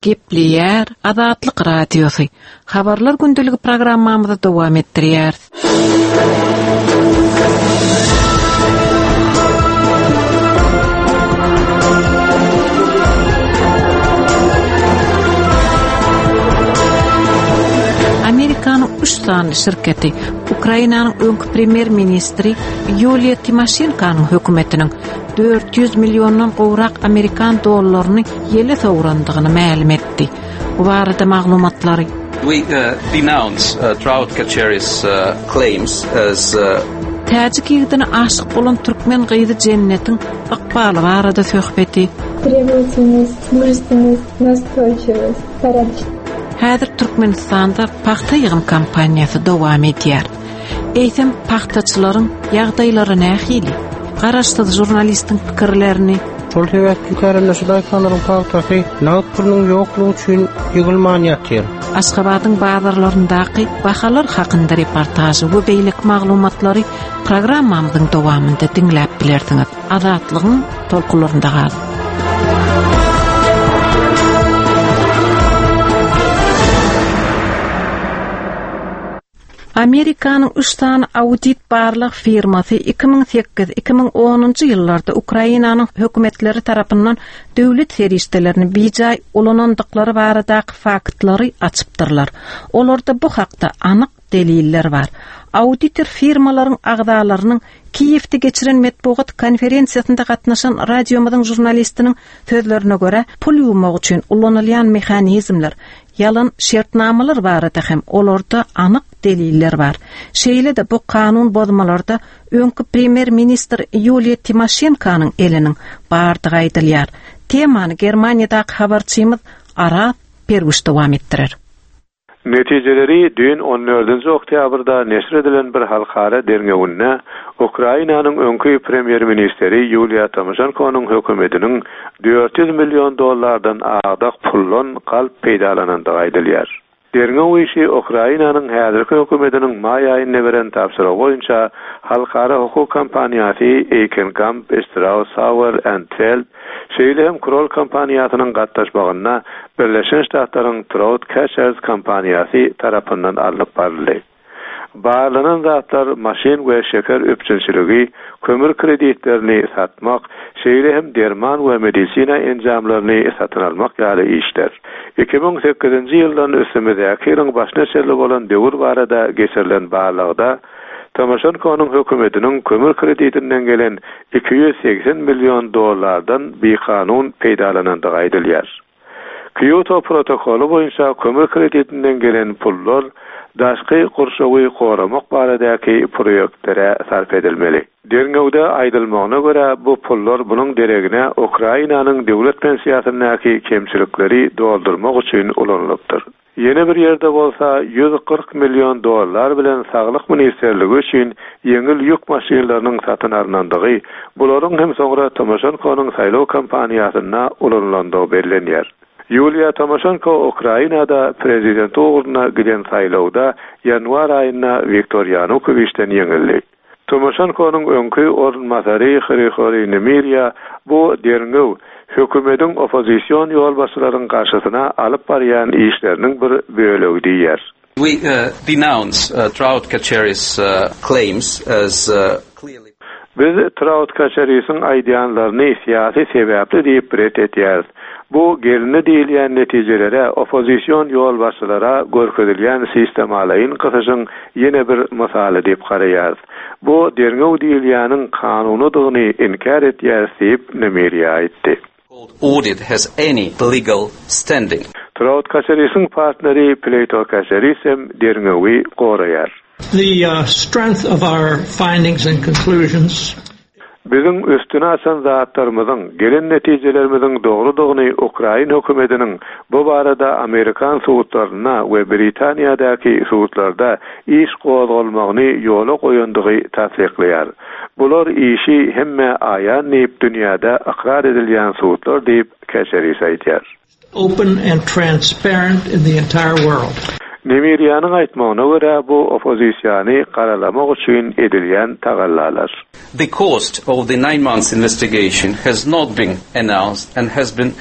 Gepleýär Azatlyk Radiosy. Habarlar gündeligi programmamyzy dowam etdirýäris. Amerikanyň üç sany şirketi Ukrainanyň öňki premýer-ministri Ýuliýa Timoşenkonyň hökümetiniň 400 milliondan gowrak amerikan dollaryny ýele sowrandygyny mälim etdi. Bu barada maglumatlary We uh, denounce uh, Trout Kacheris uh, claims as uh, Täjik ýigidine aşyk bolan türkmen gyzy Jennetiň ykbaly barada söhbeti. Требовательность, мужественность, настойчивость, порядочность. Häzir Türkmenistanda pagta ýygym kampaniýasy dowam edýär. Eýsem, pagtaçylaryň ýagdaýlary nähili? Garaşsyz žurnalistiň pikirlerini. Şol sebäpli kärendeçi daýhanlaryň pagtasy nagt pulunyň ýoklugy üçin ýygylman ýatyr. Aşgabadyň bazarlaryndaky bahalar hakynda reportažy we beýleki maglumatlary programmamyzyň dowamynda diňläp bilersiňiz. Azatlygyň tolkunlarynda galyň! Amerikanyň üç sany audit barlag firmasy 2008, 2010-njy ýyllarda Ukrainanyň hökümetleri tarapyndan döwlet serişdelerini bijaý ulanandyklary baradaky faktlary açypdyrlar. Olarda bu hakda anyk deliller bar. Auditor firmalaryň agzalarynyň Kiýewde geçiren metbugat konferensiýasynda gatnaşan radiomyzyň žurnalistiniň sözlerine görä, pul ýuwmak üçin ulanylýan mehanizmler, Ýalan şertnamalar barada hem olarda anyk deliller bar. Şeýle-de bu kanun bozmalarda öňki premýer-ministr Ýuliýa Timoşenkonyň eliniň bardygy aýdylýar. Temany Germaniýadaky habarçymyz Araz Perwiş dowam etdirer. Netijeleri düýn on dördünji oktýabrda neşir edilen bir halkara derňewinde Ukrainanyň öňki premýer-ministeri Ýuliýa Tomoşenkonyň hökümetiniň 400 million dollardan agdak puldan galp peýdalanandygy aýdylýar. Derňew işi Ukrainanyň häzirki hökümetiniň maý aýynda beren tabşyrygy boýunça halkara hukuk kompaniýasy Eýkenkamp, Strauss, Sauer and Feld, şeýle hem Kroll kompaniýasynyň gatnaşmagynda Birleşen Ştatlaryň Trout Catchers kompaniýasy tarapyndan alnyp baryldy. Barlanan zatlar maşyn we şeker üpjünçiligi, kömür kreditlerini satmak, şeýle hem derman we medisina enjamlaryny satyn almak ýaly işler. 2008-nji ýyldan üstümizdäki ýylyň başyna çenli bolan döwür barada geçirilen barlagda Timoşenkonyň hökümetiniň kömür kredidinden gelen 280 million dollardan bikanun peýdalanandygy aýdylýar. Kýoto protokoly boýunça kömür kredidinden gelen pullar daşky gurşawy goramak baradaky proýektlere sarp edilmeli. Derňewde aýdylmagyna görä, bu pullar munuň deregine Ukrainanyň döwlet pensiýasyndaky kemçilikleri doldurmak üçin ulanylypdyr. Ýene bir ýerde bolsa 140 million dollar bilen Saglyk ministrligi üçin ýeňil ýük maşynlarynyň satyn alnandygy, bularyň hem soňra Tomoşenkonyň saýlaw kampaniýasynda ulanylandygy bellenýär. Ýuliýa Tomoşenko Ukrainada prezident ugrunda giden saýlawda ýanwar aýynda Wiktor Ýanukowiçden ýeňildi. Timoşenkonyň öňki orunbasary Hrihoriý Nemirýa bu derňew hökümediň oppozision ýolbaşçylaryň garşysyna alyp barýan işleriniň bir bölegi diýýär. We denounce Trout Kacheris claims as clearly. Biz Trout Kaçerisiň aýdýanlaryny syýasy sebäpli diýip ret etýäris. Bu gelindi diýilýän netijelere oppozision ýolbaşçylara görkezilýän sistemalaýyn gysyşyň ýene bir mysaly diýip garaýarys. Bu derňew diýilýäniň kanunydygyny inkär etýäris diýip, Nemiriýa aýtdy. Audit has any legal standing. Trout Kaçerisiň partneri Pleýto Kaçeris hem derňewi goraýar. The strength of our findings and conclusions. Biziň üstüni açan zatlarymyzyň, gelen netijelerimiziň dogrudygyny ukrain hökümetiniň bu barada amerikan sudlarynda we Britaniýadaky sudlarda iş gozgalmagyny ýola goýandygy tassyklaýar. Bular işi hemmä aýan diýip dünýäde ykrar edilýän sudlar diýip, Käçeris aýdýar. Open and transparent in the entire world. Nemirýanyň aýtmagyna görä, bu oppozisiýany garalamak üçin edilýän tagallalar. The cost of the nine months investigation has not been announced and has been.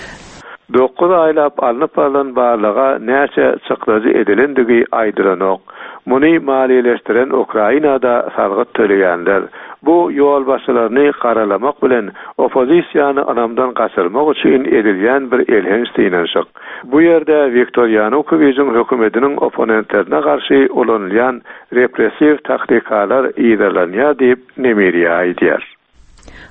Dokuz aýlap alnyp barlan barlaga näçe çykdajy edilendigi aýdylanok. Muny maliýeleşdiren Ukrainada salgyt töleýänler. Bu ýolbaşçylaryny garalamak bilen oppozisiýany ynamdan gaçyrmak üçin edilýän bir elhenç synanyşyk. Bu ýerde Wiktor Ýanukowiçiň hökümetiniň opponentlerine garşy ulanylýan repressiw taktikalar yzarlanýar diýip, Nemiriýa aýdýar.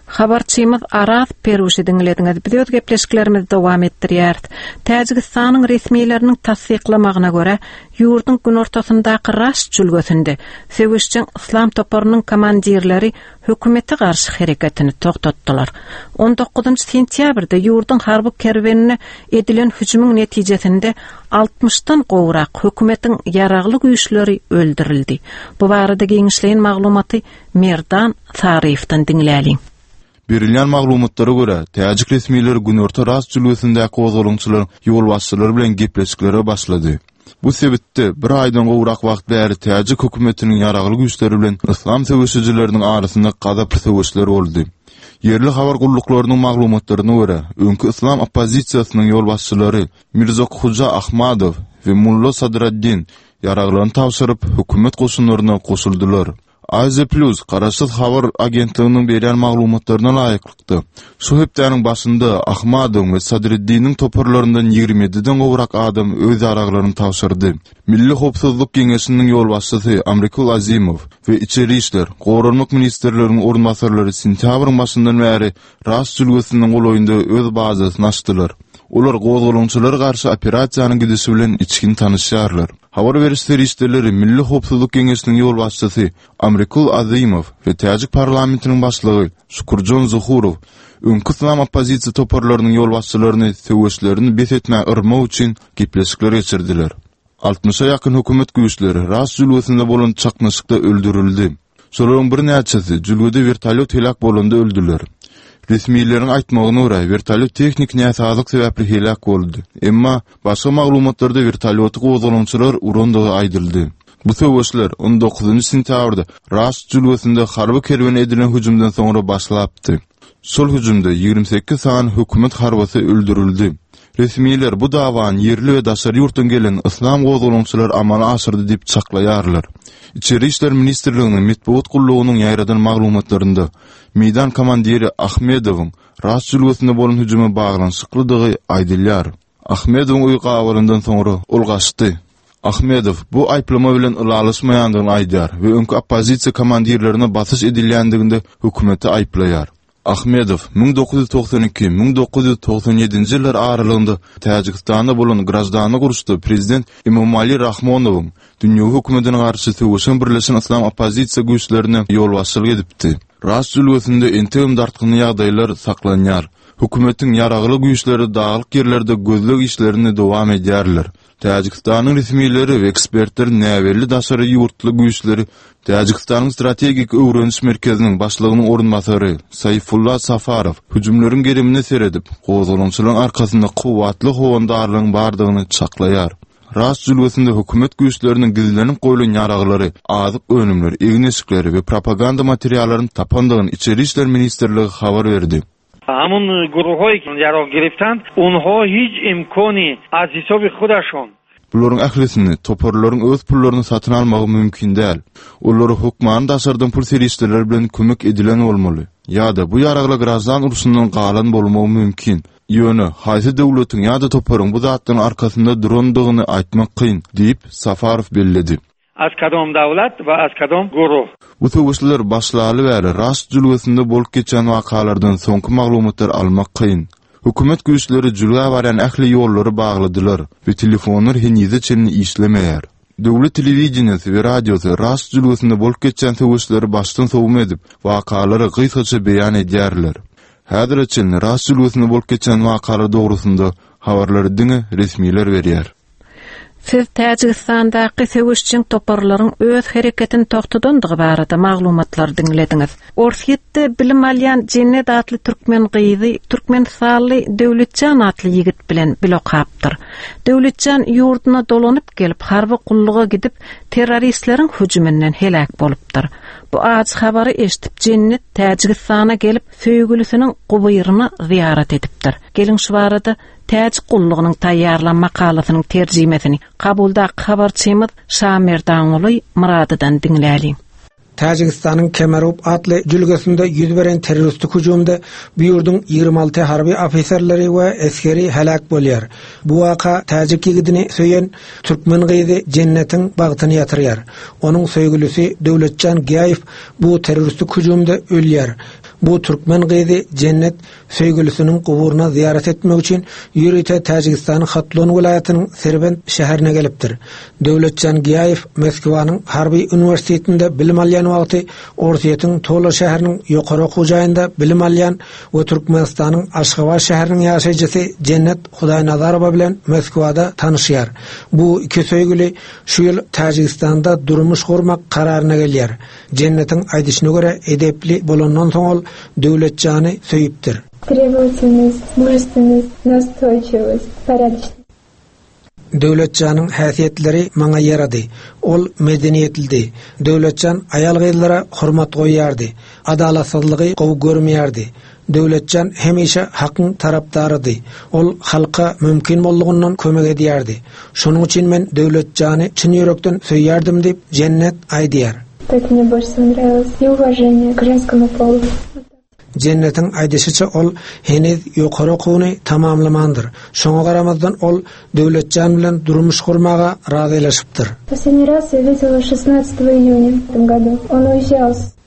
Habarçymyz Araz Peruşy diňlediňiz. Biz öz gepleşiklerimizi dowam etdirýäris. Täjigistanyň resmileriniň tassyklamagyna görä, ýurduň günortasyndaky Raşt jülgesinde söweşjeň yslam toparynyň komandirleri hökümete garşy hereketini togtatdylar. On dokuzynjy sentýabrda ýurduň harby kerwenine edilen hüjümiň netijesinde altmyşdan gowrak hökümetiň ýaragly güýçleri öldürildi. Bu barada giňişleýin maglumaty Merdan Saryýewden diňläliň. Berilýän maglumatlara görä, täjik resmileri günorta Rast jülgesindäki gozgalaňçylaryň ýolbaşçylary bilen gepleşiklere başlady. Bu sebitde bir aýdan gowrak wagt bäri täjik hökümetiniň ýaragly güýçleri bilen yslam söweşijileriniň arasynda gazaply söweşler boldy. Ýerli habar gulluklarynyň maglumatlaryna görä, öňki yslam oppozisiýasynyň ýolbaşçylary Mirzokhuja Ahmadow we Mulla Sadraddin ýaraglaryny tabşyryp, hökümet goşunlaryna goşuldylar. Aziýa Plus garaşsyz habar agentliginiň berýän maglumatlaryna laýyklykda, şu hepdäniň başynda Ahmadowyň we Sadriddiniň toparlaryndan ýigrimi ýediden gowrak adam öz ýaraglaryny tabşyrdy. Milli howpsuzlyk geňeşiniň ýolbaşçysy Amrikul Azimow we Içeri işler, Goranmak ministrleriniň orunbasarlary sentýabryň başyndan bäri Rast jülgesiniň golaýynda öz bazasyny açdylar. Olar gozgalaňçylara garşy operasiýanyň gidişi bilen içgin tanyşýarlar. Habar beriş serişdeleri Milli howpsuzlyk geňeşiniň ýolbaşçysy Amrikul Azymow we täjik parlamentiniň başlygy Şukurjon Zuhurow öňki yslam oppozisiýa toparlarynyň ýolbaşçylaryny söweşlerini bes etmäge yrmak üçin gepleşikler geçirdiler. Altmyşa ýakyn hökümet güýçleri Rast jülgesinde bolan çaknyşykda öldürildi. Şolaryň birnäçesi jülgede wertolýot heläk bolanda öldüler. Resmileriň aýtmagyna görä, wertolýot tehniki näsazlyk sebäpli heläk boldy. Emma, başga maglumatlarda wertolýoty gozgalaňçylar urandygy aýdyldy. Bu söweşler on dokuzynjy sentýabrda Raşt jülgesinde harby kerwene edilen hüjümden soňra başlapdy. Şol hüjümde 28 sany hökümet harbysy öldürildi. Resmiler bu dawany ýerli we daşary ýurtdan gelen yslam gozgalaňçylary amala aşyrdy diýip çaklaýarlar. Içeri işler ministrliginiň metbugat gullugynyň ýaýradan maglumatlarynda meýdan komandiri Ahmedowyň Rast jülgesinde bolan hüjüme baglanyşyklydygy aýdylýar. Ahmedowyň öýi gabalandan soňra ol gaçdy. Ahmedow bu aýyplama bilen ylalaşmaýandygyny aýdýar we öňki oppozisiýa komandirlerine basyş edilýändiginde hökümeti aýyplaýar. Ahmedow 1992, 1997-nji ýyllar aralygynda Täjigistanda bolan graždanlyk uruşda prezident Emomali Rahmonowyň dünýewi hökümetine garşy söweşen birleşen yslam oppozisiýa güýçlerine ýolbaşçylyk edipdi. Rast jülgesinde entegem dartgynly ýagdaýlar saklanýar. Hökümetiň ýaragly güýçleri daglyk ýerlerde gözleg işlerini dowam edýärler. Täjigistanyň resmileri we ekspertler näbelli daşary ýurtly güýçleri Täjigistanyň Strategik öwreniş merkeziniň başlygynyň orunbasary Saýfulla Safarow hüjümleriň gerimine seredip, gozgalaňçylaryň arkasynda kuwwatly howandarlygyň bardygyny çaklaýar. Rast jülgesinde hökümet güýçleriniň gizlenip goýlan ýaraglary, azyk önümleri, egin-eşikleri we propaganda materiallaryny tapandygyny Içeri işler ministrligi habar berdi. Hamun guruhoi ki yarog giriftand onho hic imkoni az hisobi hudashon. Bularyň ählisini toparlaryň öz pullaryna satyn almagy mümkin däl. Olara hökmany daşardan pul serişdeleri bilen kömek edilen bolmaly. Ýa-da bu ýaraglar graždan urşundan galan bolmagy mümkin. Ýöne, haýsy döwletiň ýa-da toparyň bu zatlaryň arkasynda durandygyny aýtmak kyn, diýip, Safarow belledi. Az kadom dawlat we az kadom guruh. Bu söweşler başlaly bäri Raşt jülgesinde bolup geçýän wakalardan soňky maglumatlary almak kyn. Hökümet güýçleri jülgä barýan ähli ýollary bagladylar we telefonlar henize çenli işlemeýär. Döwlet telewideniýesi we radiosy Raşt jülgesinde bolup geçýän söweşleri başdan sowma edip, wakalary gysgaça beýan edýärler. Häzire çenli Raşt jülgesinde bolup geçýän wakalar dogrusynda habarlary diňe resmiler berýär. Siz Täjigistandaky söweşjeň toparlaryň öz hereketini togtadandygy barada maglumatlary diňlediňiz. Orsýetde bilim alýan Jennet atly türkmen gyzy türkmenistanly Döwletjan atly ýigit bilen bile okapdyr. Döwletjan ýurduna dolanyp gelip, harby gulluga gidip, terroristleriň hüjüminden heläk bolupdyr. Bu ajy habary eşidip Jennet Täjigistana gelip söýgülisiniň gubyryna zyýarat edipdir. Geliň şu barada Täjik gullugynyň taýýarlan makalasynyň terjimesini Kabuldaky habarçymyz Şamerdanguly Myradydan diňläliň. Täjigistanyň Kemerup atly jülgesinde ýüz beren terroristik hüjümde bu ýurduň 26 harby ofiserleri we esgeri heläk bolýar. Bu waka täjik ýigidini söýen türkmen gyzy Jennetiň bagtyny ýatyrýar. Onuň söýgülisi Döwletjan Giýaýew bu terroristik hüjümde ölýär. Bu türkmen gyzy Jennet söýgülisiniň guburyna zyýarat etmek üçin ýörite Täjigistanyň Hatlon welaýatynyň Serbent şäherine gelipdir. Döwletjan Giýaýew Moskwanyň harby uniwersitetinde bilim alýan wagty Orsýetiň Tola şäheriniň ýokary okuw jaýynda bilim alýan we Türkmenistanyň Aşgabat şäheriniň ýaşaýjysy Jennet Hudaýnazarowa bilen Moskwada tanyşýar. Bu iki söýgüli şu ýyl Täjigistanda durmuş gurmak kararyna gelýär. Jennetiň aýdyşyna görä, edepli bolandan soň ol Döwletjany söýüpdir. Требовательность, мужественность, настойчивость, порядочность. Döwletjanyň häsiýetleri maňa ýarady. Ol medeniýetlidi. Döwletjan aýal-gyzlara hormat goýýardy. Adalatsyzlygy gowy görmeýärdi. Döwletjan hemişe hakyň tarapdarydy. Ol halka mümkin boldugyndan kömek edýärdi. Şonuň üçin men Döwletjany çyn ýürekden söýýärdim diýip, Jennet aýdýar. Так мне больше всего нравилось и уважение к женскому полу. Jennetiň aýdyşyça ol heniz ýokary okuwyny tamamlamandyr. Şoňa garamazdan ol Döwletjan bilen durmuş gurmaga razylaşypdyr. Последний раз я видела шестнадцатого июня в этом году. Он уезжал с.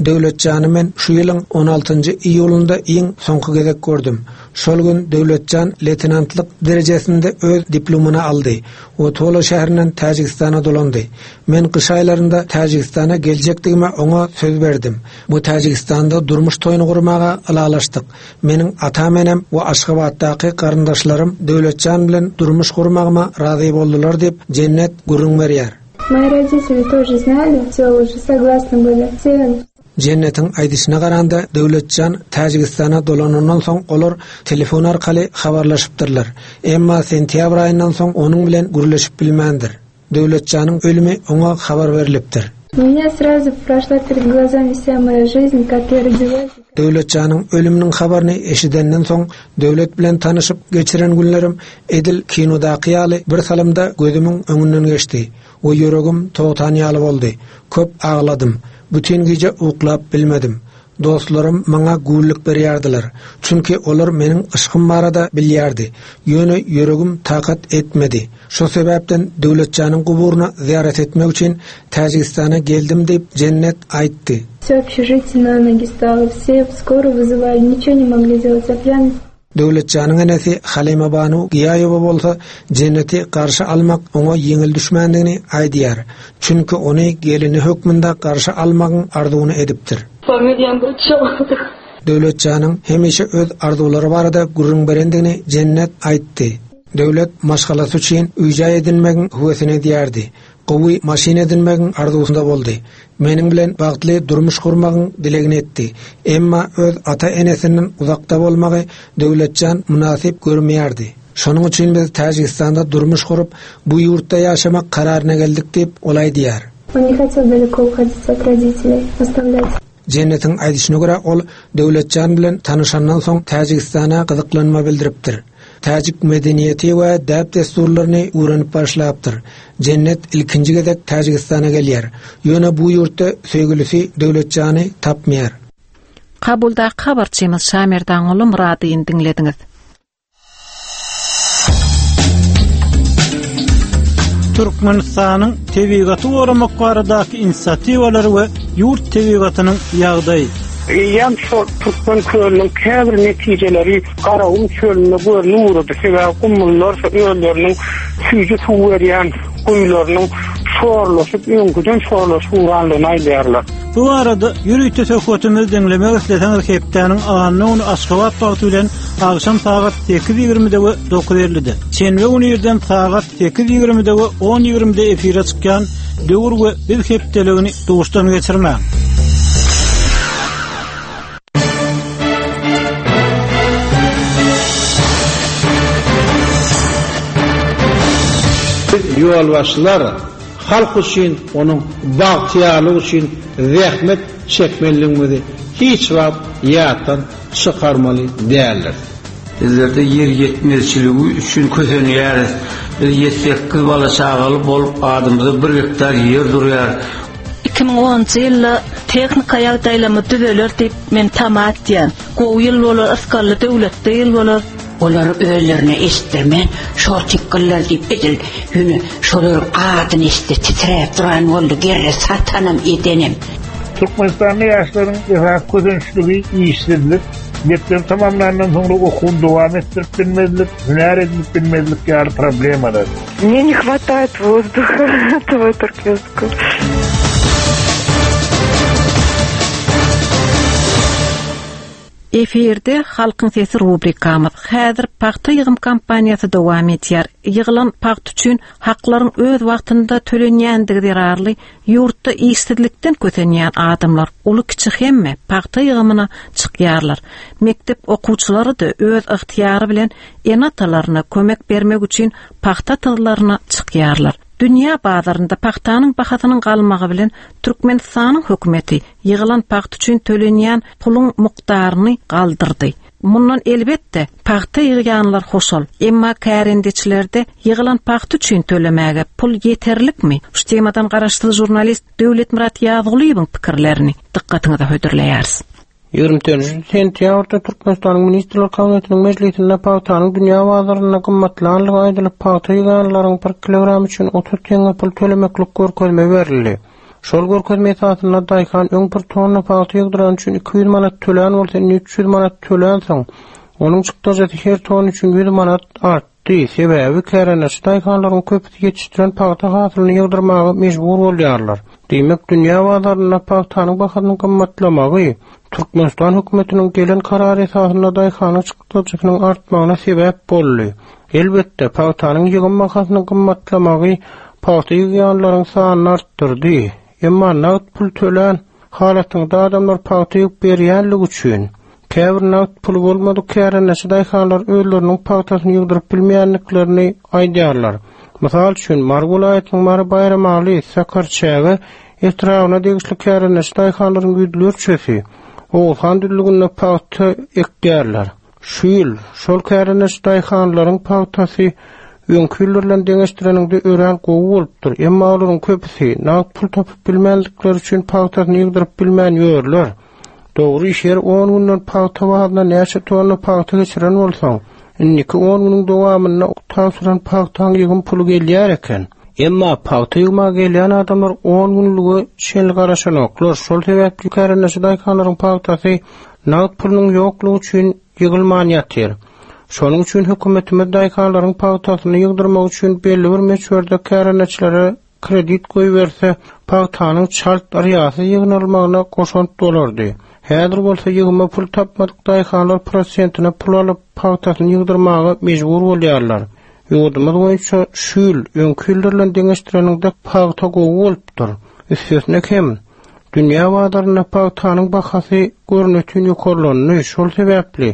Döwletjany men şu ýylyň on altynjy iýulynda iň soňky gezek gördüm. Şol gün Döwletjan leýtenantlyk derejesinde öz diplomyny aldy we Tola şäherinden Täjigistana dolandy. Men gyş aýlarynda Täjigistana geljekdigime oňa söz berdim we Täjigistanda durmuş toýuny gurmaga ylalaşdyk. Meniň atam-enem we Aşgabatdaky garyndaşlarym Döwletjan bilen durmuş gurmagyma razy boldular diýip, Jennet gürrüň berýär. Мои родители тоже знали, все уже согласны были. Все Jennetiň aýdyşyna garanda, Döwletjan Täjigistana dolanandan soň olar telefon arkaly habarlaşypdyrlar. Emma sentýabr aýyndan soň onuň bilen gürleşip bilmändir. Döwletjanyň ölümi oňa habar berlipdir. У меня сразу прошла перед глазами вся моя жизнь, как я родилась. Döwletjanyň ölüminiň habaryny eşidenden soň, Döwlet bilen tanyşyp geçiren günlerim edil kinodaky ýaly bir salymda gözümiň öňünden geçdi we ýüregim togtan ýaly boldy. Köp agladym. Bütin gije uklap bilmedim. Dostlarym maňa güwlik berýärdiler. Çünki olar meniň yşgym barada bilýärdi. Ýöne ýüregim takat etmedi. Şo sebäpden Döwletjanyň guburyna zyýarat etmek üçin Täjigistana geldim diýip, Jennet aýtdy. Всё общежитие на ноги стало, все скорую вызывали, ничего не могли сделать, а пьяный. Döwletjanyň enesi Halymabanu Gyýaýewa bolsa Jenneti garşy almak oňa ýeňil düşmändigini aýdýar. Çünki ony gelini hökmünde garşy almagyň arzuwyny edipdir. Döwletjanyň hemişe öz arzuwlary barada gürrüň berendigini Jennet aýtdy. Döwlet maşgalasy üçin öý-jaý edinmegiň höwesini edýärdi. Gowy maşyn edinmegiň arzuwynda boldy. Meniň bilen bagtly durmuş gurmagyň dilegini etdi. Emma öz ata-enesinden uzakda bolmagy Döwletjan mynasyp görmeýärdi. Şonuň üçin biz Täjigistanda durmuş gurup, bu ýurtda ýaşamak kararyna geldik diýip, ol aýdýar. On ne hotel daleko uhodit ot roditeley, ostavlyat. Jennetiň aýdyşyna görä, ol Döwletjan bilen tanyşandan soň Täjigistana gyzyklanma bildiripdir. Täjik medeniýeti we däp-dessurlaryny öwrenip başlapdyr. Jennet ilkinji gezek Täjigistana gelýär. Ýöne bu ýurtda söýgülisi Döwletjany tapmaýar. Kabuldaky habarçymyz Şamerdanguly Myradyny diňlediňiz. Türkmenistanyň tebigaty goramak baradaky inisiatiwalary we ýurt tebigatynyň ýagdaýy. Eýýäm şol Türkmen kölüniň käbir netijeleri Garagum çölünde görnüp ugrady. Sebäbi gumlular özleriniň süýji suw berýän guýularynyň şorlaşyp, öňküden şorlaşyp ugrandygyny aýdýarlar. Bu barada ýörite söhbetimizi diňlemek isleseňiz hepdäniň anna güni Aşgabat wagty bilen agşam sagat 8:20-de we 9:50-de, şenbe güni irden sagat 8:20-de we 10:20-de efire çykýan Döwür we biz hepdeligini duşdan geçirmäň. Biz ýolbaşçylar. Halk üçin, onuň bagtyýarlygy üçin zähmet çekmelidigimizi hiç wagt ýatdan çykarmaly däldiris. Bizlerde ýer ýetmezçiligi üçin kösenýäris. Biz ýedi-sekiz bala-çagaly bolup, adymyza bir gektar ýer durýar. 2010-njy ýylda tehnika ýagdaýlarymyz düzeler diýip men tama etýän. Gowy ýyl bolar, ysgally döwletli ýyl bolar. Olar özlerine eşitdirmän şor tikgiller diýip edil ýöne şolaryň adyny eşitse titräp duran boldy gerre satanam edenem. Türkmenistanda ýaşlaryň esasy kösençligi işsizlik, mekdebi tamamlandan soňra okuwyny dowam etdirip bilmezlik, hünär edinip bilmezlik ýaly problemalar. Мне не хватает воздуха этого туркменского. Efirde Halkyň sesi rubrikamyz. Häzir pagta ýygym kampaniýasy dowam edýär. Ýygylan pagta üçin haklaryň öz wagtynda tölenýändigi zerarly ýurtda işsizlikden kösenýän adamlar, uly-kiçi hemme pagta ýygymyna çykýarlar. Mekdep okuwçylary-da öz ygtyýary bilen ene-atalaryna kömek bermek üçin pagta tyzlaryna çykýarlar. Dünýä bazarynda pagtanyň bahasynyň galmagy bilen Türkmenistanyň hökümeti ýygylan pagta üçin tölenýän puluň mukdaryny galdyrdy. Mundan elbetde, pagta ýygýanlar hoşal. Emma kärendeçilerde ýygylan pagta üçin tölemäge pul ýeterlikmi? Şu temadan garaşsyz žurnalist Döwletmyrat Ýazgulyýewiň pikirlerini dykgatyňyza hödürleýäris. 24 sentýabrda Türkmenistanyň Ministrler Kabinetiniň mejlisinde pagtanyň dünýä bazarynda gymmatlanlygy aýdylyp, pagta ýyganlaryň bir kilogram üçin 30 teňňe pul tölemeklik görkezme berildi. Şol görkezme esasynda daýhan öň bir tonna pagta ýygdyrany üçin 200 manat tölän bolsa, indi 300 manat tölänsoň, onuň çykdajysy her tonna üçin 100 manat artdy. Sebäbi kärendeçi daýhanlaryň köpüsi ýetişdiren pagta hasylyny ýygdyrmaga mejbur bolýarlar. Diýmek, dünýä bazarynda pagtanyň bahasynyň gymmatlamagy Türkmenistan hökümetiniň gelen karary esasynda daýhanyň çykdajysynyň artmagyna sebäp boldy. Elbetde, pagtanyň ýygym bahasynyň gymmatlamagy pagta ýygýanlaryň sanyny artdyrdy. Emma nagt pul tölän halatyňda adamlar pagta ýygyp berýänligi üçin, käbir nagt puly bolmadyk kärendeçi daýhanlar özleriniň pagtasyny ýygdyryp bilmeýändiklerini aýdýarlar. Mysal üçin, Mary welaýatynyň Mary Baýramaly, Sakarçäge etrabyna degişli kärendeçi daýhanlaryň ýüzlerçesi Oguzhan düzlüginde pagta ekýärler. Şu ýyl şol kärendeçi daýhanlaryň pagtasy öňki ýyllar bilen deňeşdireniňde örän gowy bolupdyr. Emma olaryň köpüsi nagt pul tapyp bilmändikleri üçin pagtasyny ýygdyryp bilmän ýörler. Dogry, her on günden pagta bazyna näçe tonna pagta geçiren bolsaň, indiki on günüň dowamynda tabşyran pagtaň ýygym puly gelýär eken. Emma pagta ýygmaga gelýän adamlar on günlüge çenli garaşanoklar. Şol sebäpli kärendeçi daýhanlaryň pagtasy Nagt pulunyň ýoklugy üçin ýygylman ýatyr. Şonuň üçin hökümetimiz daýhanlaryň pagtasyny ýygdyrmak üçin belli bir möçberde kärendeçilere kredit goýberse, pagtanyň çalt, yrýasyz ýygnalmagyna goşant bolardy. Häzir bolsa ýygyma pul tapmadyk daýhanlar prosentine pul alyp, pagtasyny ýygdyrmaga mejbur bolýarlar. Ýurdumyz boýunça şu ýyl öňki ýyllar bilen deňeşdireniňde pagta gowy bolupdyr. Üstesine hem, Dünýä bazarynda pagtanyň bahasy görnetin ýokarlandy, şol sebäpli,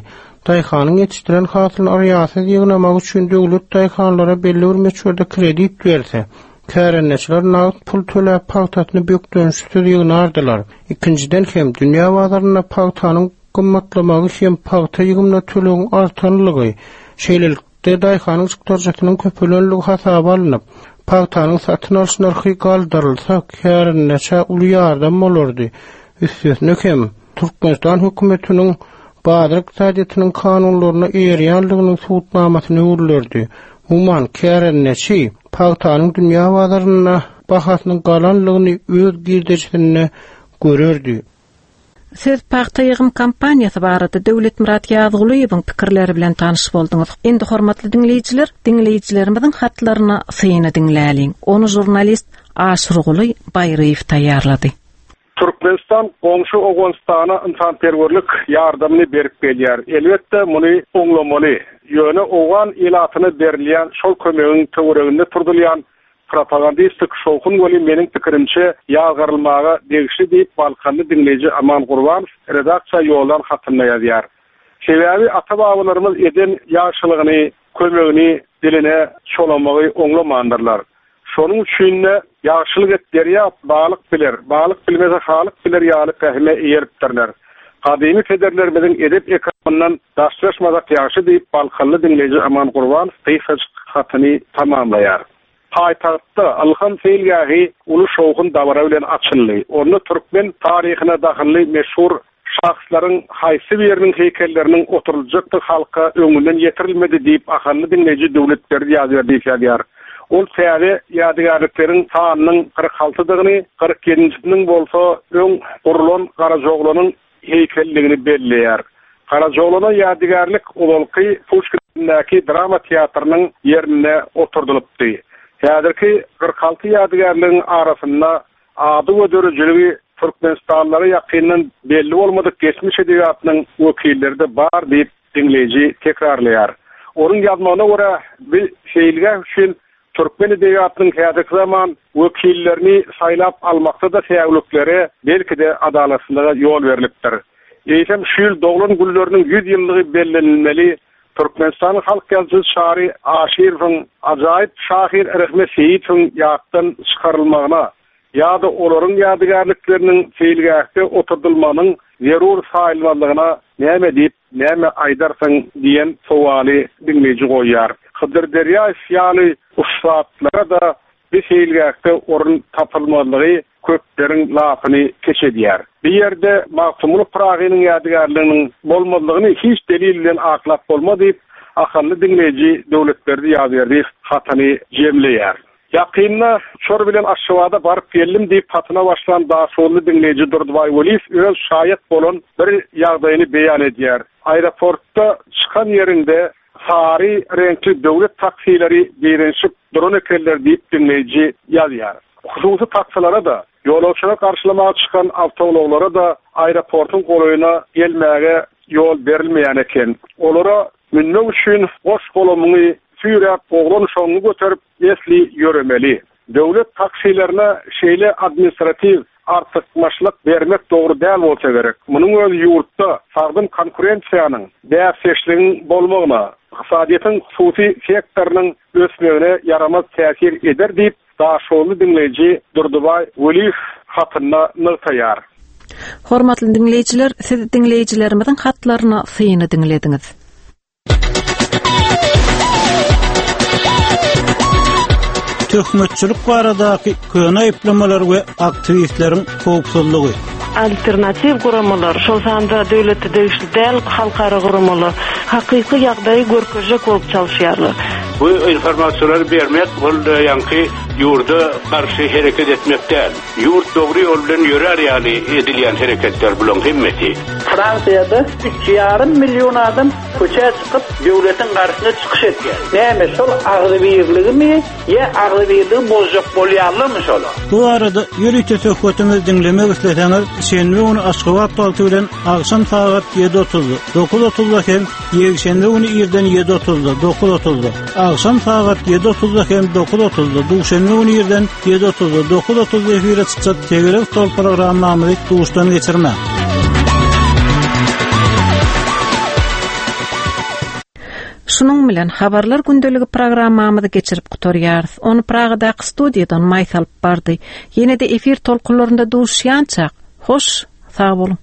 daýhanyň ýetişdiren hasylyny yrýasyz ýygnamak üçin döwlet daýhanlara belli bir möçberde kredit berse, kärendeçiler nagt pul töläp pagtasyny bökdençsiz ýygnardylar. Ikinjiden hem, dünýä bazarynda pagtanyň gymmatlamagy hem pagta ýygymyna tölegiň artanlygy, şeýlelikde, De daýhanyň çykdajysynyň köpelenligi hasaba alnyp, pagtanyň satyn alyş nyrhy galdyrylsa, kärendeçä uly ýardam bolardy. Üstesine hem, Türkmenistan hökümetiniň bazar ykdysadyýetiniň kanunlaryna eýerýänliginiň subutnamasyna öwrülerdi. Umuman, kärendeçi pagtanyň dünýä bazarynda bahasynyň galanlygyny öz girdejisinde görerdi. Siz pagta ýygym kampaniýasy barada Döwletmyrat Ýazgulyýewiň pikirleri bilen tanyş bolduňyz. Indi hormatly diňleýjiler, diňleýjilerimiziň hatlaryna syny diňläliň. Ony žurnalist Aşyrguly Baýryýew taýýarlady. Türkmenistan goňşy Owganystana ynsanperwerlik ýardamyny berip gelýär. Elbetde, muny oňlamaly. Ýöne owgan ilatyna berilýän şol kömegiň töwereginde turdulýan Propagandistik şowhun weli meniň pikirimçe ýazgarylmaga degişli diýip balkanly diňleýji Aman Gurbanow redaksiýa ýollan hatynda ýazýar. Sebäbi ata-babalarymyz eden ýagşylygyny, kömegini diline çolamagy oňlamandyrlar. Şonuň üçin-de, Ýagşylyk et derýa, balyk biler, balyk bilmese halyk biler ýaly pähime eýeripdirler. Gadymy pederlerimiziň edep-ekramyndan daşlaşmasak ýagşy diýip, balkanly diňleýji Aman Gurbanow gysgajyk hatyny tamamlaýar. Paýtagtda Ylham seýilgähi uly şowhun-dabara bilen açyldy. Onda türkmen taryhyna dahylly meşhur şahslaryň haýsy biriniň heýkelleriniň oturyljakdygy halka öňünden ýetirilmedi diýip, ahally diňleýji Döwletberdi Ýazberdiýew ýazýar. Ol täze ýadygärlikleriň sanynyň 46 dygyny, 47 njisiniň bolsa öň gurlan Garajaoglanyň heýkelligini belleýär. Garajaoglana ýadygärlik ozalky Puşkindäki drama teatrynyň ýerinde oturdylypdy. Häzirki 46 ýadygärligiň arasynda Ady we döredijiligi türkmenistanlylara ýakyndan belli bolmadyk geçmiş edebiýatynyň wekilleri-de bar diýip, diňleýji tekrarlaýar. Onuň ýazmagyna görä, bi seýilgäh üçin türkmen edebiýatynyň häzirki zaman wekillerini saýlap almakda-da säwliklere, belki-de, adalatsyzlyga ýol berlipdir. Eýsem, şu ýyl doglan günleriniň 100 ýyllygy bellenilmeli Türkmenistanyň halk ýazyjysy Çary Aşyrowyň, ajaýyp şahyr Rehmet Seýitowyň ýatdan çykarylmagyna ýa-da olaryň ýadygärlikleriniň seýilgähde oturdylmagynyň zerur saýylmazlygyna näme diýip, näme aýdarsyň diýen sowaly diňleýji goýýar. Hydyr Derýaýew ýaly ussatlara-da Bu seýilgähde orun tapylmazlygy köpleriň lapyny keç edýär. Bu ýerde Magtymguly Pyragynyň ýadygärliginiň bolmazlygyny hiç delil bilen aklap bolmaz diýip, ahally diňleýji Döwletberdi Ýazberdiýew hatyny jemleýär. Ýakynda uçar bilen Aşgabada baryp geldim diýip hatyna başlan daşoguzly diňleýji Durdybaý Weliýew öz şaýat bolan bir ýagdaýyny beýan edýär. Aeroportda çykan ýeriňde Sary reňkli döwlet taksileri direnişip duran ekenler diýip diňleýji ýazýar. Hususy taksilere-de, ýolagçylary garşylamaga çykan awtoulaglara-da aeroportuň golaýyna gelmäge ýol berilmeýän eken. Olara münmek üçin goş-golamyňy süýräp, oglan-uşagyňy göterip esli ýöremeli. Döwlet taksilerine şeýle administratiw artykmaçlyk bermek dogry däl bolsa gerek. Munuň özi ýurtda sagdyn konkurensiýanyň, bäsdeşligiň bolmagyna, ykdysadyýetiň hususy sektorynyň ösmegine ýaramaz täsir eder diýip, daşoguzly diňleýji Durdybaý Weliýew hatynda nygtaýar. Hormatly diňleýjiler, siz diňleýjilerimiziň hatlaryna syny diňlediňiz. Töhmetçilik baradaky köne aýyplamalar we aktiwistleriň howpsuzlygy. Alternatiw guramalar, şol sanda döwlete degişli däl halkara guramalar hakyky ýagdaýy görkezjek bolup çalyşýarlar. Bu informasiýalary bermek ol ýaňky ýurda garşy hereket etmek däl. Ýurt dogry ýol bilen ýörär ýaly edilýän hereketler bulaň hemmesi. Fransiýada üç ýarym million adam köçä çykyp döwletiň garşysyna çykyş etýär. Näme şol agzybirligimi ýa agzybirligi bozjak bolýarlarmy şolar? Bu barada ýörite söhbetimizi diňlemek isleseňiz, şenbe güni Aşgabat wagty bilen agşam sagat ýedi otuzda, dokuz otuzda hem ýekşenbe güni irden ýedi otuzda, dokuz otuzda, agşam sagat ýedi otuzda hem dokuz otuzda, duşenbe güni irden ýedi otuzda, dokuz otuzda efire çykjak Tegelek stol programmamyzy duşdan geçirmäň. Şunuň bilen Habarlar gündeligi programmamyzy geçirip gutarýarys. Ony Pragadaky studiýadan Maýsa alyp bardy. Ýene-de efir tolkunlarynda duşýançak, hoş, sag boluň!